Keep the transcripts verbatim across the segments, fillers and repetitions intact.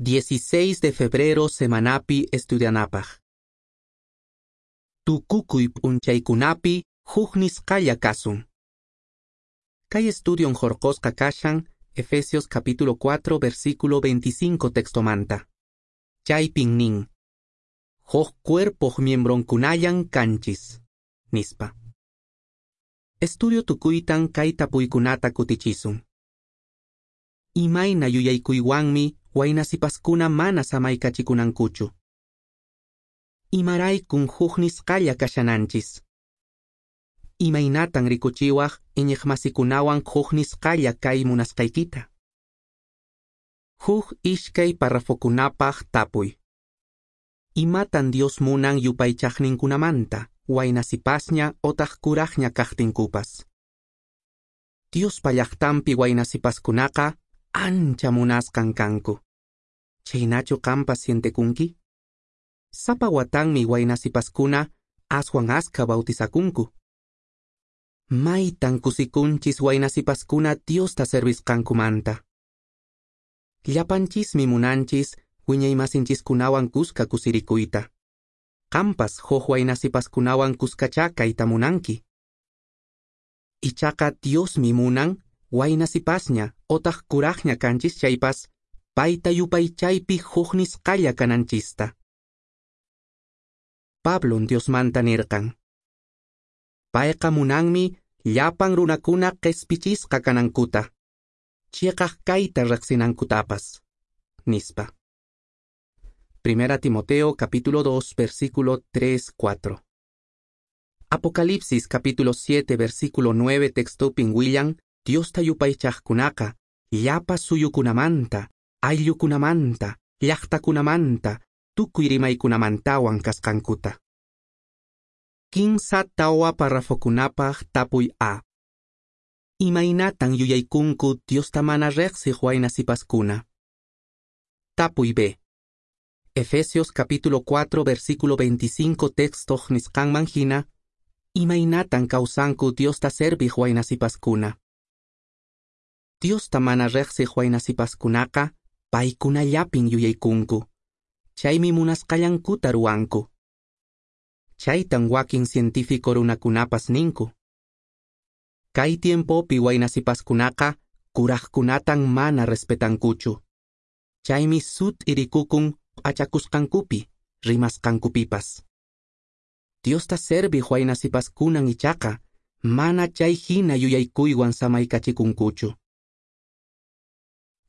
dieciséis de febrero semanapi estudianapaq. Tukukuy p'unchaykunapi huk nisqalla kasun. Kay estudion hurqosqa kashan Efesios capítulo cuatro versículo veinticinco textomanta. Chaypin nin: Huk cuerpoq miembronkunallan kanchis, nispa. Estudio tukuytan kay tapuykunata kutichisun. Imayna yuyaykuywanmi waynasipaskuna mana samaykachikunankuchu. Imaraykun huk nisqalla kashananchis. Imaynatan rikuchiwaq iñiqmasikunawan huk nisqalla kay munasqaykita. Huk ishkay parrafokunapaq tapuy. Imatan Dios munan yupaychaqninkunamanta, waynasipasña otaq kuraqña kaqtinkupas. Diospa llaqtanpi waynasipaskunaqa ancha munasqan kanku. Chhaynachu qampas sientekunki? Sapa watanmi waynasipaskuna aswan askha bautizakunku. Maytan kusikunchis waynasipaskuna Diosta servisqankumanta. Llapanchismi munanchis wiñaymasinchiskunawan kuska kusirikuyta. Qampas huk waynasipaskunawan kuskachá kayta munanki. Ichaqa Diosmi munan waynasipasña otaq kuraqña kanchis chaypas payta yupaychaypi huk nisqalla kananchista. Pablon Diosmanta nirqan: Payqa munanmi llapan runakuna qespichisqa kanankuta, chiqaq kayta riqsinankutapas, nispa. Primera Timoteo capítulo dos versículo tres cuatro. Apocalipsis capítulo siete versículo nueve textopin willan Diosta yupaychaqkunaqa llapa suyukunamanta, ayllukunamanta, llaqtakunamanta, tukuy rimaykunamantawan kasqankuta. Kinsa tawa parrafokunapaq tapuy A. Imaynatan yuyaykunku Diosta mana riqsiq waynasipaskuna. Tapuy B. Efesios capítulo cuatro versículo veinticinco textoq nisqanman hina, imaynatan kawsanku Diosta serviq waynasipaskuna. Diosta mana riqsiq waynasipaskunaqa paykunallapin yuyaykunku, chaymi munasqallankuta ruwanku. Chaytan wakin científico runakunapas ninku. Kay tiempopi waynasipaskunaqa kuraqkunatan mana respetankuchu. Chaymi sut'i rikukun p'achakusqankupi, rimasqankupipas. Diosta serviq waynasipaskunan ichaqa mana chay hina yuyaykuywan samaykachikunkuchu.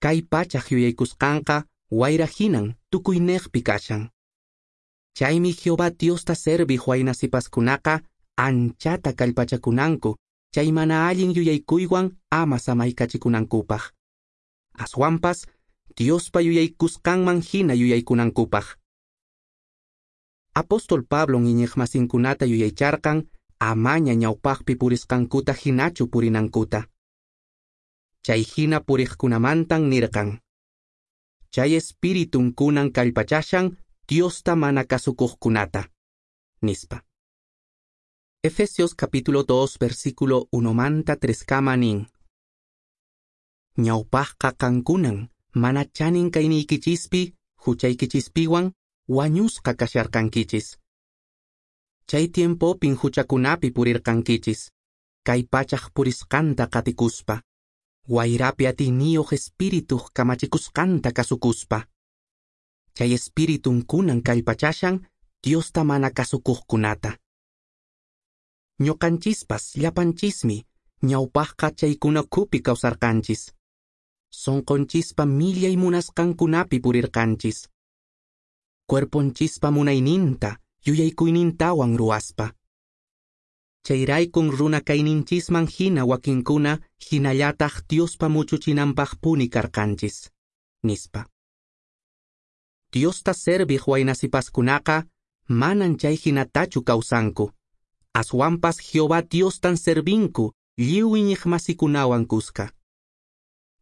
Kay pachaq yuyaykusqanqa wayra hinan tukuyniqpi kashan. Chaymi Jehová Diosta serviq waynasipaskunaqa anchata kallpachakunanku chay mana allin yuyaykuywan ama samaykachikunankupaq. Aswanpas Diospa yuyaykusqanman hina yuyaykunankupaq. Apóstol Pablon iñiqmasinkunata yuyaycharqan amaña ñawpaqpi purisqankuta hinachu purinankuta. Chay hina puriqkunamantan nirqan: Chay espiritun kunan kallpachashan Diosta mana kasukuqkunata, nispa. Efesios capítulo dos versículo uno manta tres kama nin: Ñawpaqqa qankunan mana chanin kayniykichispi, huchaykichispiwan wañusqa kasharqankichis. Chay tiempopin huchakunapi purirqankichis, kay pachaq purisqanta qatikuspa, wayrapi atiyniyuq espirituq kamachikusqanta kasukuspa. Chay espiritun kunan kallpachashan Diosta mana kasukuqkunata. Ñuqanchispas llapanchismi ñawpaqqa chaykuna ukhupi kawsarqanchis. Sonqonchispa millay munasqankunapi purirqanchis. Cuerponchispa munayninta, yuyaykuynintawan ruwaspa. Chayraykun runa kayninchisman hina wakinkuna hinallataq Diospa muchuchinanpaqpuni karqanchis, nispa. Diosta serviq waynasipaskunaqa manan chay hinatachu kawsanku. Aswanpas Jehová Diostan servinku lliw iñiqmasikunawan kuska.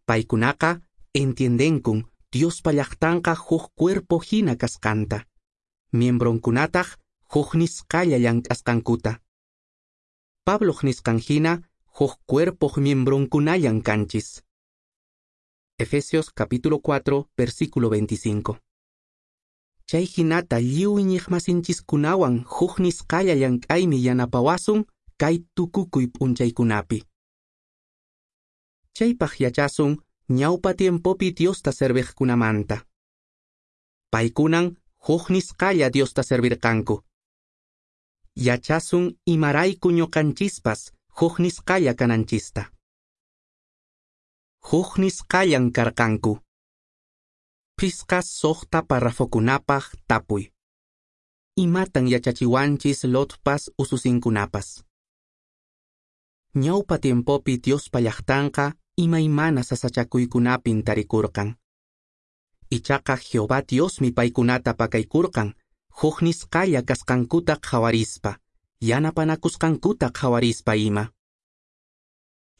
Paykunaqa entiendenkun Diospa llaqtanqa huk cuerpo hina kasqanta, miembronkunataq huk nisqalla llank'asqankuta. Pabloq nisqan hina huk cuerpoq miembronkunallan kanchis. Efesios capítulo cuatro, versículo veinticinco. Chay hinata lliw iñiqmasinchiskunawan huk nisqalla llank'aymi yanapawasun kay tukukuy p'unchaykunapi. Chaypaq yachasun ñawpa tiempopi Diosta serviqkunamanta. Paykunan huk nisqalla Diosta servirqanku. Yachasun imarayku ñuqanchispas huk nisqalla kananchista. Huk nisqallan karqanku. Phisqa suqta parrafokunapaq tapuy. Imatan yachachiwanchis Lotpas ususinkunapas. Ñawpa tiempopi Diospa llaqtanqa imaymana sasachakuykunapin tarikurqan. Ichaqa Jehová Diosmi paykunata pakaykurqan, huk nisqalla kasqankuta qhawarispa, yanapanakusqankuta qhawarispa ima.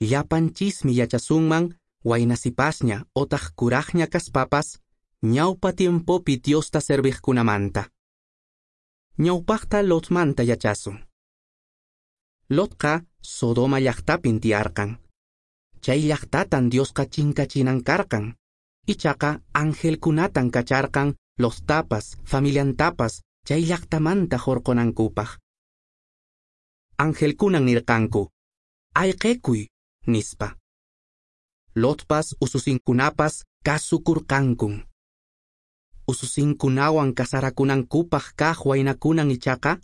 Llapanchismi yachasunman waynasipasña otaq kuraqña kaspapas, ñawpa tiempopi Diosta serviqkunamanta. Ñawpaqta Lotmanta yachasun. Lotqa Sodoma llaqtapin tiyarqan. Chay llaqtatan Diosqa chinkachinan karqan. Ichaqa angelkunatan kacharqan Lottapas, familiantapas, chay llaqtamanta hurqunankupaq. Angelkunan nirqanku, ayqekuy, nispa. Lotpas ususinkunapas kasukurqankun. Ususinkunawan kasarakunankupaq kaq waynakunan ichaqa,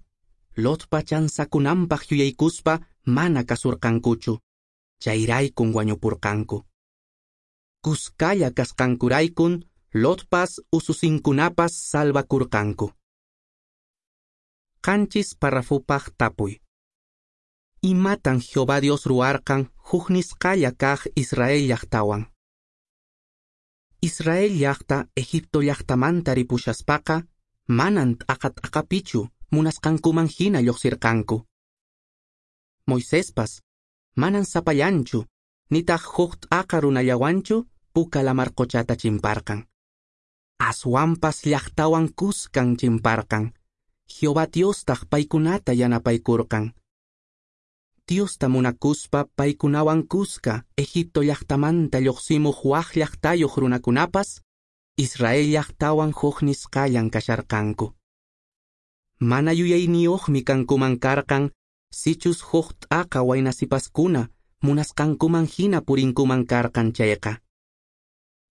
Lotpa chansakunanpaq yuyaykuspa mana kasurqankuchu, chayraykun wañupurqanku. Kuskalla kasqankuraykun Lotpas ususinkunapas salvakurqanku. Qanchis parrafupaq tapuy. Imatan Jehová Dios ruwarqan huk nisqalla kaq Israel llaqtawan. Israel llaqta Egipto llaqtamanta ripushaspaqa manan t'aqa t'aqapichu munasqankuman hina lluqsirqanku. Moisespas manan sapallanchu nitaq huk t'aqa runallawanchu Puka lamar quchata chimparqan. Aswanpas llaqtawan kuskan chimparqan. Jehová Diostaq paykunata yanapaykurqan. Diosta munakuspa paykunawan kuska Egipto llaqtamanta lluqsimuq wak llaqtayuq runakunapas Israel llaqtawan huk nisqallan kasharqanku. Mana yuyayniyuqmi kankuman karqan sichus huk t'aqa waynasipaskuna munasqankuman hina purinkuman karqan chayqa.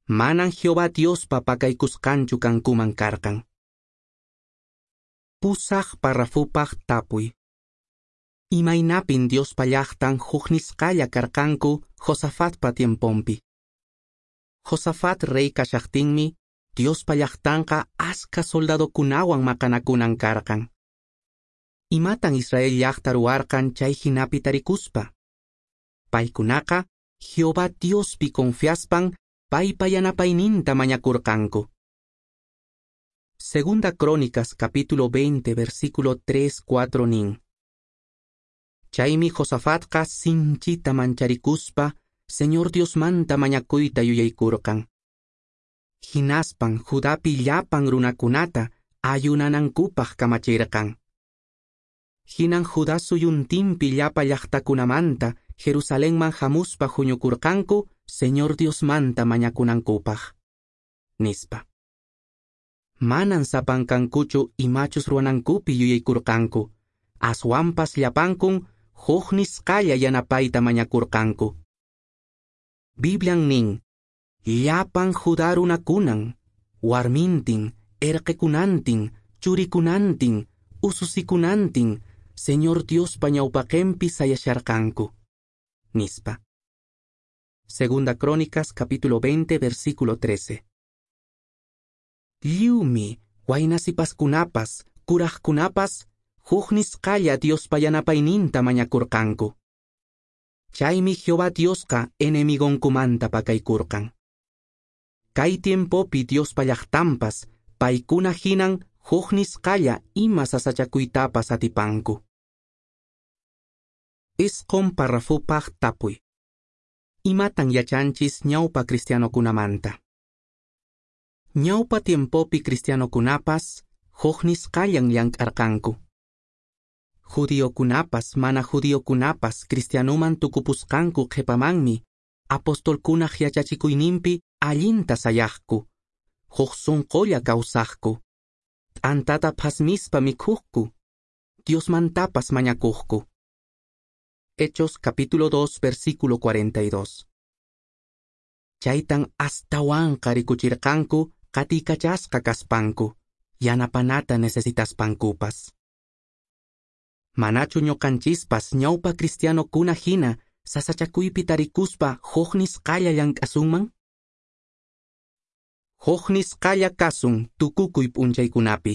Manan Jehová Diospa pakaykusqanchu kankuman karqan. Pusaq parrafupaq tapuy. Imaynapin Diospa llaqtan huk nisqalla karqanku Josafatpa tiemponpi. Josafat rey kashaqtinmi Diospa llaqtanqa askha soldadokunawan maqanakunan karqan. Imatan Israel llaqta ruwarqan chay hinapi tarikuspa? Paykunaqa Jehová Diospi confiaspan paypa yanapayninta mañakurqanku. Segunda Crónicas capítulo veinte versículo tres cuatro nin. Chaymi Josafatqa sinchita mancharikuspa Señor Diosmanta mañakuyta yuyaykurqan. Hinaspan Judapi llapan runakunata ayunanankupaq kamachirqan. Hinan Judá suyuntinpi llapa llaqtakunamanta Jerusalenman hamuspa huñukurqanku Señor Diosmanta mañakunankupaq, nispa. Manan sapankankuchu imachus ruwanankupi yuyaykurqanku, aswanpas llapankun huk nisqalla yanapayta mañakurqanku. Biblian nin, llapan Judá runakunan, warmintin, erqekunantin, churikunantin, ususikunantin, Señor Diospa ñawpaqenpi sayasharqanku, nispa. Segunda Crónicas capítulo veinte versículo trece. Lliwmi waynasipaskunapas, kuraqkunapas, huk nisqalla Diospa yanapayninta mañakurqanku. Chaymi Jehová Diosqa enemigonkumanta pakaykurqan. Kay tiempopi Diospa llaqtanpas paykuna hinan huk nisqalla ima sasachakuytapas atipanku. Isqun parrafupaq tapuy. Imatan yachanchis ñawpa cristianokunamanta. Ñawpa tiempopi cristianokunapas huk nisqallan llank'arqanku. Judiokunapas mana judiokunapas cristianuman tukupusqanku qhipamanmi apostolkunaq yachachikuyninpi allinta sayaqku, huk sunqulla kawsaqku, t'antata phasmispa mikhuqku, Diosmantapas mañakuqku. Hechos capítulo dos, versículo cuarenta y dos. Chaytan astawanqa rikuchirqanku qatikachasqa kaspanku, yanapanata necesitaspankupas. Manachu ñuqanchispas ñawpa cristianokuna hina sasachakuypi tarikuspa huk nisqalla llank'asunman? Huk nisqalla kasun tukukuy p'unchaykunapi.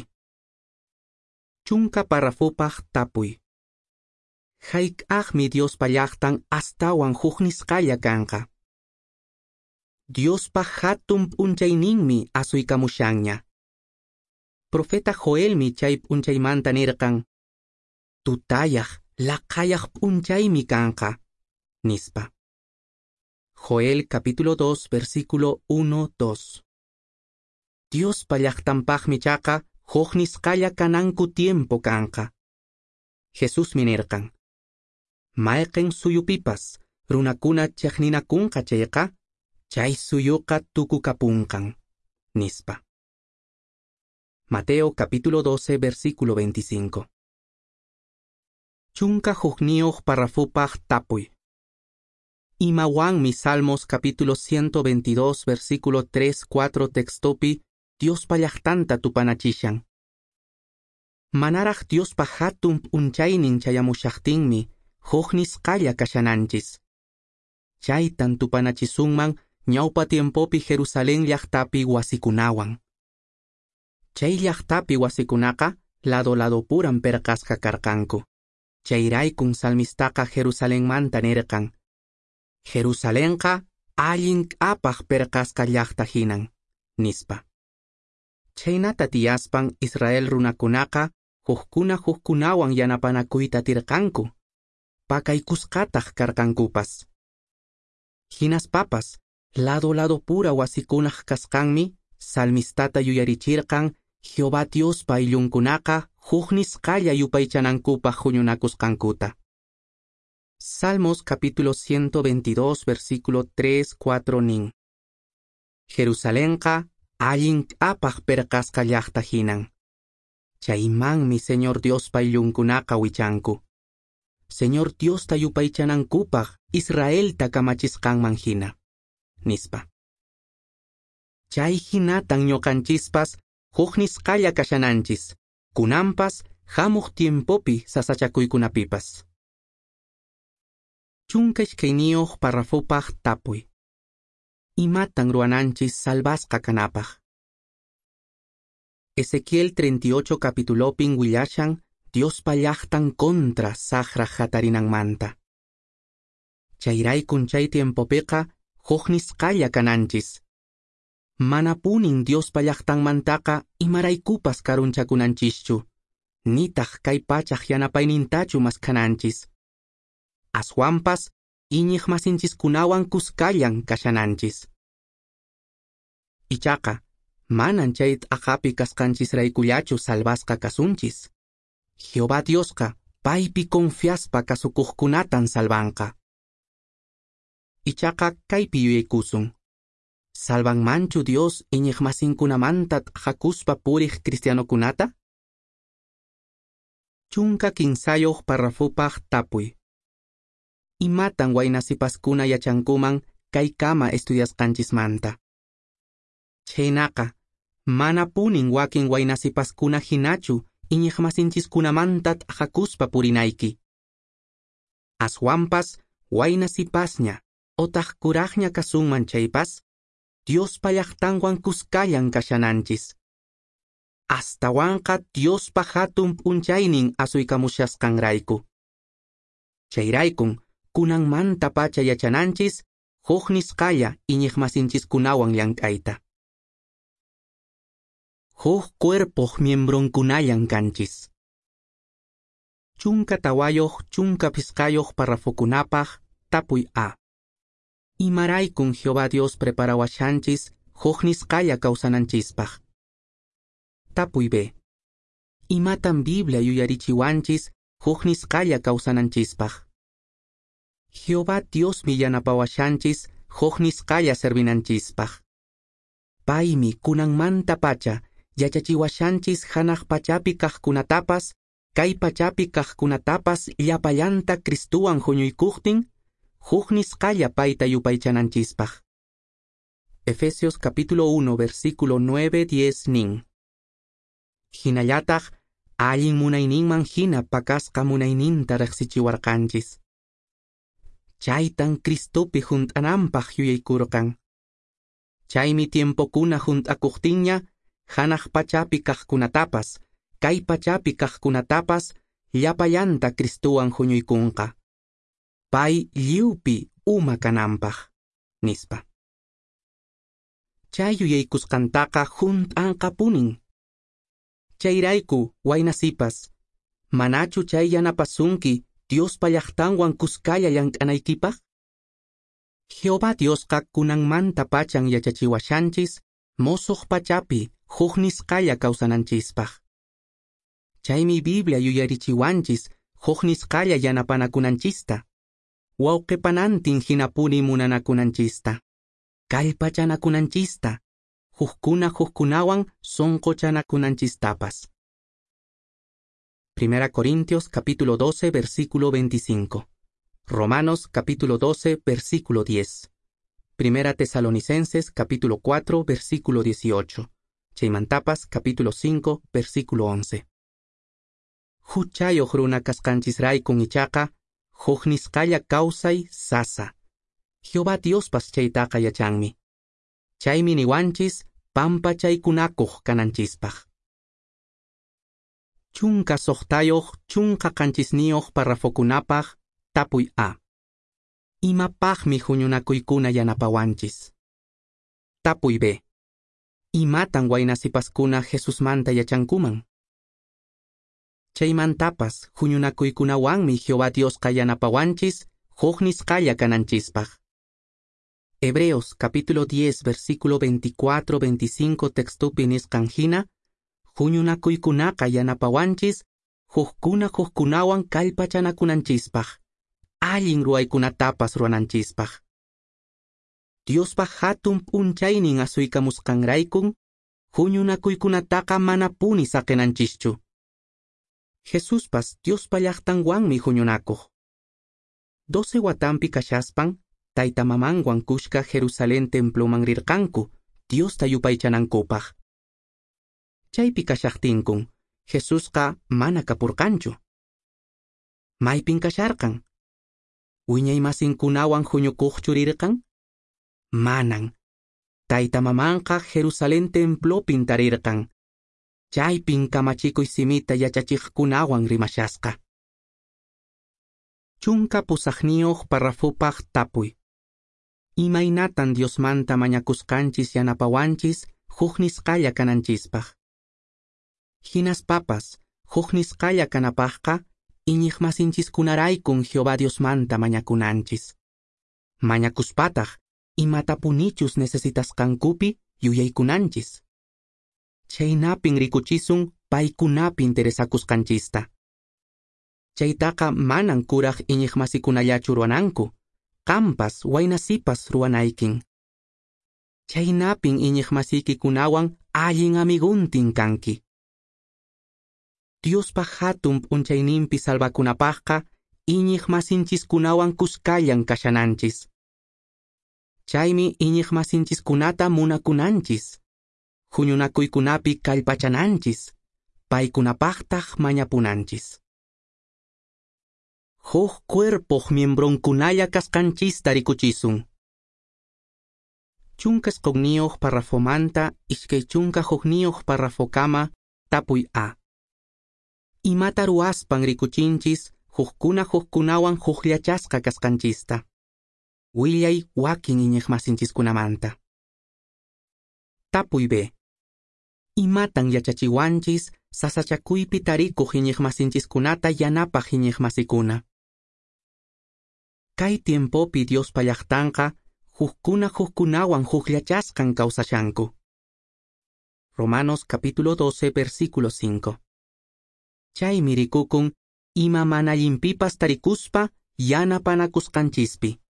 Chunka parrafopaq tapuy. Hayk'aqmi Diospa llaqtan astawan huk nisqalla kanqa? Diospa hatun p'unchayninmi asuykamushanña. Profeta Joelmi chay p'unchaymanta nirqan, tutayaq, laqayaq p'unchaymi kanqa, nispa. Joel capítulo dos, versículo uno, dos. Diospa llaqtanpaqmi chaqa huk nisqalla kananku tiempo kanqa. Jesusmi nirqan, mayqin suyupipas runakuna chiqninakunqa chayqa, chay suyuqa tukukapunqan, nispa. Mateo capítulo doce, versículo veinticinco. Chunka hukniyuq parrafupaq tapuy. Imawanmi Salmos capítulo ciento veintidós, versículo tres, cuatro textopi Diospa llaqtanta tupanachishan. Manaraq Diospa hatun p'unchaynin chayamushaqtinmi huk nisqalla kashananchis. Chaytan tupanachisunman ñawpa tiempopi Jerusalén llaqtapi wasikunawan. Chay llaqtapi wasikunaqa lado ladopuran perqasqa karqanku. Chayraykun salmistaqa Jerusalenmanta nirqan, Jerusalenqa allin k'apaq perqasqa llaqta hinan, nispa. Chaynata tiyaspan Israel runakunaqa hukkuna hukkunawan yanapanakuyta atirqanku, pakaykusqataq karqankupas. Hinaspapas, lado ladopura wasikunaq kasqanmi salmistata yuyarichirqan Jehová Diospa ayllunkunaqa huk nisqalla yupaychanankupaq huñunakusqankuta. Salmos capítulo ciento veintidós, versículo tres, cuatro nin. Jerusalenqa allin k'apaq perqasqa llaqta hinan. Chaymanmi Señor Diospa ayllunkunaqa wichanku. Señor Diosta yupaychanankupaq Israelta kamachisqanman hina, nispa. Chay hinatan ñuqanchispas huk nisqalla kashananchis, kunanpas hamuq tiempopi sasachakuykunapipas. Chunka iskayniyuq parrafopaq tapuy. Imatan ruwananchis salvasqa kanapaq? Ezequiel treinta y ocho capitulopin willashan Diospa llaqtan contra saqra hatarinanmanta. Chayraykun chay tiempopiqa huk nisqalla kananchis. Manapunin Diospa llaqtanmantaqa imaraykupas karunchakunanchischu, nitaq kay pachaq yanapaynintachu maskhananchis. Aswanpas iñiqmasinchiskunawan kuskallan kashananchis. Ichaqa, manan chay t'aqapi kasqanchisraykullachu salvasqa kasunchis. Jehová Diosqa paypi confiaspa kasukuqkunatan salvanqa. Ichaqa kaypi yuyaykusun. Salvanmanchu Dios iñiqmasinkunamanta t'aqakuspa puriq cristianokunata? Chunka kinsayuq parrafupaq tapuy. Imatan waynasipaskuna yachankuman kaykama estudiasqanchismanta? Chhaynaqa, manapunin wakin waynasipaskuna hinachu iñiqmasinchiskunamanta t'aqakuspa purinayki. Aswanpas waynasipasña otaq kuraqña kasunman chaypas, Diospa llaqtanwan kuskallan kashananchis. Astawanqa Diospa hatun p'unchaynin asuykamushasqanrayku. Chayraykun kunanmantapacha yachananchis huk nisqalla iñiqmasinchiskunawan llank'ayta. Huk cuerpoq miembronkunallan kanchis. Chunka tawayuq chunka phisqayuq parrafokunapaq tapuy A. Imaraykun Jehová Dios preparawashanchis huk nisqalla kawsananchispaq? Tapuy B. Imatan Biblia yuyarichiwanchis huk nisqalla kawsananchispaq? Jehová Diosmi yanapawashanchis huk nisqalla servinanchispaq. Paymi kunanmantapacha yachachiwashanchis hanaq pachapi kaqkunatapas, kay pachapi kaqkunatapas llapallanta Cristuwan huñuykuqtin, huk nisqalla payta yupaychananchispaq. Efesios capítulo uno, versículo nueve diez nin. Hinallataq allin munayninman hina pakasqa munayninta riqsichiwarqanchis. Chaytan Cristopi hunt'ananpaq yuyaykurqan. Chaymi tiempokuna hunt'akuqtinña hanaq pachapi kaqkunatapas, kay pachapi kaqkunatapas llapallanta Cristuwan huñuykunqa. Pay lliwpi uma kananpaq, nispa. Chay yuyaykusqantaqa hunt'anqapunin. Chayrayku, waynasipas, manachu chay yanapasunki Diospa llaqtanwan kuskalla llank'anaykipaq? Jehová Diosqa kunanmanta pachan yachachiwashanchis mosoq pachapi huk nisqalla kawsananchispaq. Chaymi Biblia yuyarichiwanchis huk nisqalla yanapanakunanchista, wawqipanantin hinapuni munanakunanchista, kallpachanakunanchista, hukkuna hukkunawan sonqochanakunanchistapas. Primera Corintios capítulo doce, versículo veinticinco. Romanos capítulo doce, versículo diez. Primera Tesalonicenses capítulo cuatro, versículo dieciocho. Chaymantapas capítulo cinco, versículo once. Huchayoq runa kasqanchisraykun ichaqa, huk nisqalla kawsay sasa. Jehová Diospas chaytaqa yachanmi. Chaymi niwanchis pampachaykunakuq kananchispaq. Chunka soqtayoq, chunka qanchisniyoq parrafokunapaq, tapuy A. Imapaqmi huñunakuykuna yanapawanchis? Tapuy B. Imatan waynasipaskuna Jesusmanta yachankuman? Chaymantapas huñunakuykunawanmi Jehová Diosqa yanapawanchis huk nisqalla kananchispaq. Hebreos capítulo diez, versículo veinticuatro veinticinco textupi nisqan hina, huñunakuykunaqa yanapawanchis hukkuna hukkunawan kallpachanakunanchispaq, allin ruwaykunatapas ruwananchispaq. Diospa hatun p'unchaynin asuykamusqanraykun, huñunakuykunataqa manapuni saqinanchischu. Jesuspas Diospa llaqtanwanmi huñunakuq. Doce watanpi kashaspan, tayta mamanwan kushka Jerusalén temploman rirqanku, Diosta yupaychanankupaq. Chaypi kashaqtinkun, Jesusqa mana kapurqanchu. Maypin kasharqan? Wiñaymasinkunawan huñukuqchu rirqan? Manan. Tayta mamanqa Jerusalén templopin tarirqan. Chaypin kamachikuy simita yachachiqkunawan rimashasqa. Chunka pusaqniyuq parrafupaq tapuy. Imaynatan Diosmanta mañakusqanchis yanapawanchis huk nisqalla kananchispaq? Hinaspapas, huk nisqalla kanapaqqa, iñiqmasinchiskunaraykun Jehová Diosmanta mañakunanchis. Mañakuspataq, imatapunichus necesitasqankupi yuyaykunanchis. Chaynapin rikuchisun paykunapi interesakusqanchista. Chaytaqa manan kuraq iñiqmasikunallachu ruwananku, qampas waynasipas ruwanaykin. Chaynapin iñiqmasiykikunawan allin amiguntin kanki. Diospa hatun p'unchayninpi salvakunapaqqa iñiqmasinchiskunawan kuskallan kashananchis. Chaymi iñiqmasinchiskunata munakunanchis, huñunakuykunapi kallpachananchis, paykunapaqtaq mañapunanchis. Huk cuerpoq miembronkunalla kasqanchista rikuchisun. Chunka isqunniyoq parrafomanta iskay chunka hukniyoq parrafokama tapuy A. Imata ruwaspan rikuchinchis hukkuna hukkunawan hukllachasqa kasqanchista. Willay wakin iñiqmasinchiskunamanta. Tapuy B. Imatan yachachiwanchis sasachakuypi tarikuq iñiqmasinchiskunata yanapaq iñiqmasikuna. Kay tiempopi Diospa llaqtanqa hukkuna hukkunawan hukllachasqan kawsashanku. Romanos capítulo doce, versículo cinco. Chaymi rikukun ima mana allinpipas tarikuspa yanapanakusqanchispi.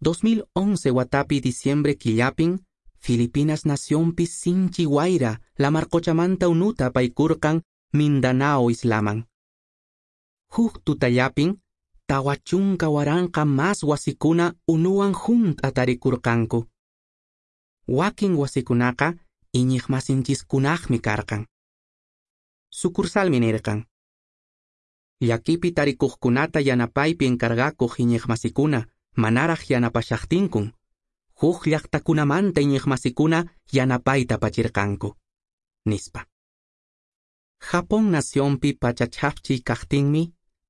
dos mil once watapi diciembre killapin, Filipinas nacionpi sinchi wayra lamar qochamanta unuta apaykurqan Mindanao islaman. Huk tutallapin, tawa chunka waranqa mas wasikuna unuwan hunt'a tarikurqanku. Wakin wasikunaqa iñiqmasinchiskunaqmi karqan. Sucursalmi nirqan: Llakipi tarikuqkunata yanapaypi encargakuq iñiqmasikuna manaraq yanapashaqtinkun, huk llaqtakunamanta iñiqmasikuna yanapayta apachirqanku, nispa. Japón nacionpi pachachhapchiy kaqtinmi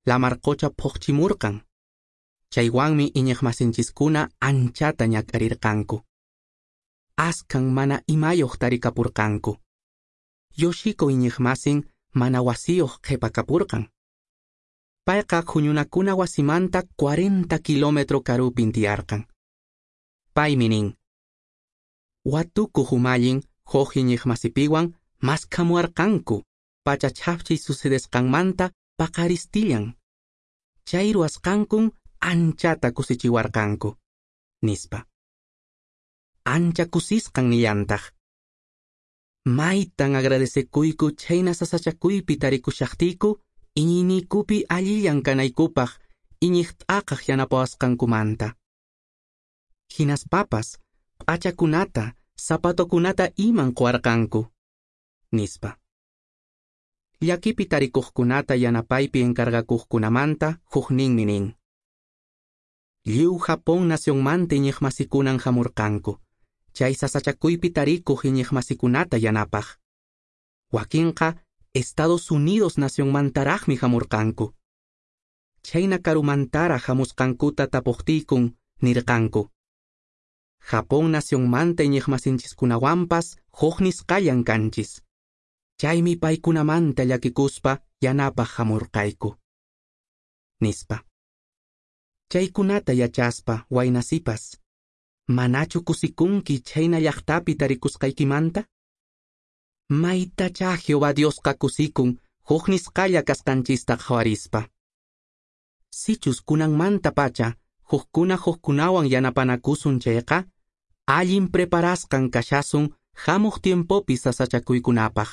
lamar qocha phuqchimurqan. Chaywanmi iñiqmasinchiskuna anchata ñak'arirqanku. Askan mana imayuq tarikapurqanku. Yoshiko iñiqmasin mana wasiyuq qhipakapurqan. Payqa huñunakuna wasimanta cuarenta kilómetro karupin tiyarqan. Paymi nin: Watukuq umallin huk iñiqmasipiwan maskhamuwarqanku pachachhapchiy sucedesqanmanta paqaristillan. Chay ruwasqankun anchata kusichiwarqanku, nispa. Ancha kusisqan nillantaq: Maytan agradecekuyku chhayna sasachakuypi tarikushaqtiyku iñiyniykupi allillan kanaykupaq iñiq t'aqaq yanapawasqankumanta. Hinaspapas p'achakunata, zapatokunata iman quwarqanku, nispa. Llakipi tarikuqkunata yanapaypi encargakuqkunamanta hukninmi nin: Lliw Japón nacionmanta iñiqmasikunan hamurqanku, chay sasachakuypi tarikuq iñiqmasikunata yanapaq. Wakinqa Estados Unidos nacionmantaraqmi hamurqanku. Chhayna karumantaraq hamusqankuta tapuqtiykun nirqanku: Japón nacionmanta iñiqmasinchiskunawanpas huk nisqallan kanchis. Chaymi paykunamanta llakikuspa yanapaq hamurqayku, nispa. Chaykunata yachaspa waynasipas, manachu kusikunki chhayna llaqtapi tarikusqaykimanta? Maytachá Jehová Diosqa kusikun huk nisqalla kasqanchista qhawarispa. Sichus kunanmantapacha hukkuna hukkunawan yanapanakusun chayqa, allin preparasqan kashasun hamuq tiempopi sasachakuykunapaq.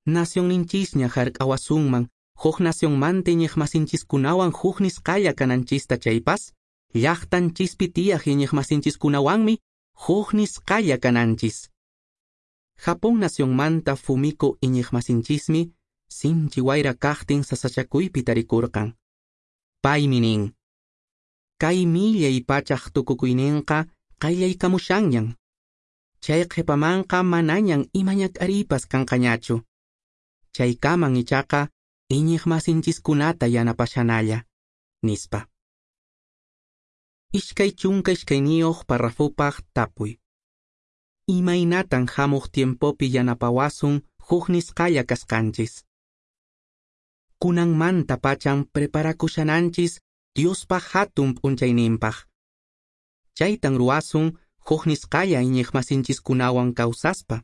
Nacionninchisña hark'awasunman huk nacionmanta iñiqmasinchiskunawan huk nisqalla kananchista chaypas, llaqtanchispi tiyaq iñiqmasinchiskunawanmi huk nisqalla kananchis. Japón nacionmanta Fumiko iñiqmasinchismi sinchi wayra kaqtin sasachakuypi tarikurqan. Paymi nin: Kay millay pachaq tukukuyninqa qayllaykamushanñan. Chay qhipamanqa manañan ima ñak'ariypas kanqañachu. Chaykaman ichaqa iñiqmasinchiskunata yanapashanalla, nispa. Iskay chunka iskayniyuq parrafupaq tapuy: Imaynatan hamuq tiempopi yanapawasun huk nisqalla kasqanchis? Kunanmanta pachan preparakushananchis Diospa hatun p'unchayninpaq. Chaytan ruwasun huk nisqalla iñiqmasinchiskunawan kawsaspa.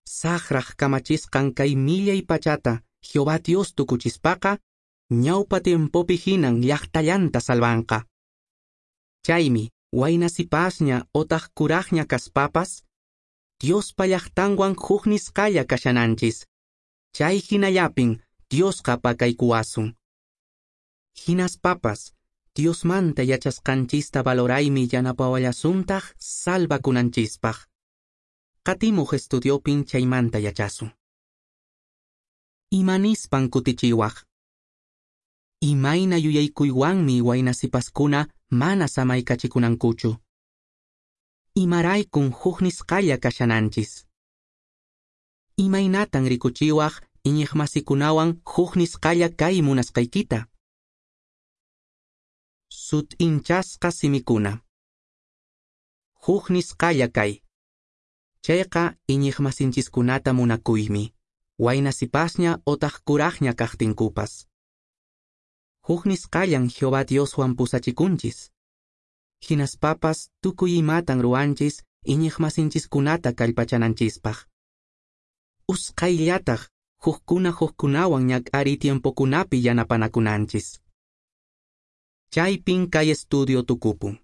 Saqraq kamachisqan kay millay pachata Jehová Dios tukuchispaqa, ñawpa tiempopi hinan llaqtallanta salvanqa. Chaymi waynasipasña otaq kuraqña kaspapas, Diospa llaqtanwan huk nisqalla kashananchis. Chay hinallapin Diosqa pakaykuwasun. Hinaspapas, Diosmanta yachasqanchista valoraymi yanapawallasuntaq salvakunanchispaq. Qatimuq estudiopin chaymanta yachasun. Imanispan kutichiwaq? Imayna yuyaykuywanmi waynasipaskuna mana samaykachikunankuchu? Imaraykun huk nisqalla kashananchis? Imaynatan rikuchiwaq iñiqmasikunawan huk nisqalla kay munasqaykita? Sut'inchasqa simikuna. Huk nisqalla kay. Chayqa iñiqmasinchiskunata munakuymi, waynasipasña otaq kuraqña kaqtinkupas. Huk nisqallan Jehová Dioswan pusachikunchis. Hinaspapas tukuy imatan ruwanchis iñiqmasinchiskunata kallpachananchispaq. Usqhayllataq hukkuna hukkunawan ñak'ariy tiempokunapi yanapanakunanchis. Chaypin kay estudio tukupun.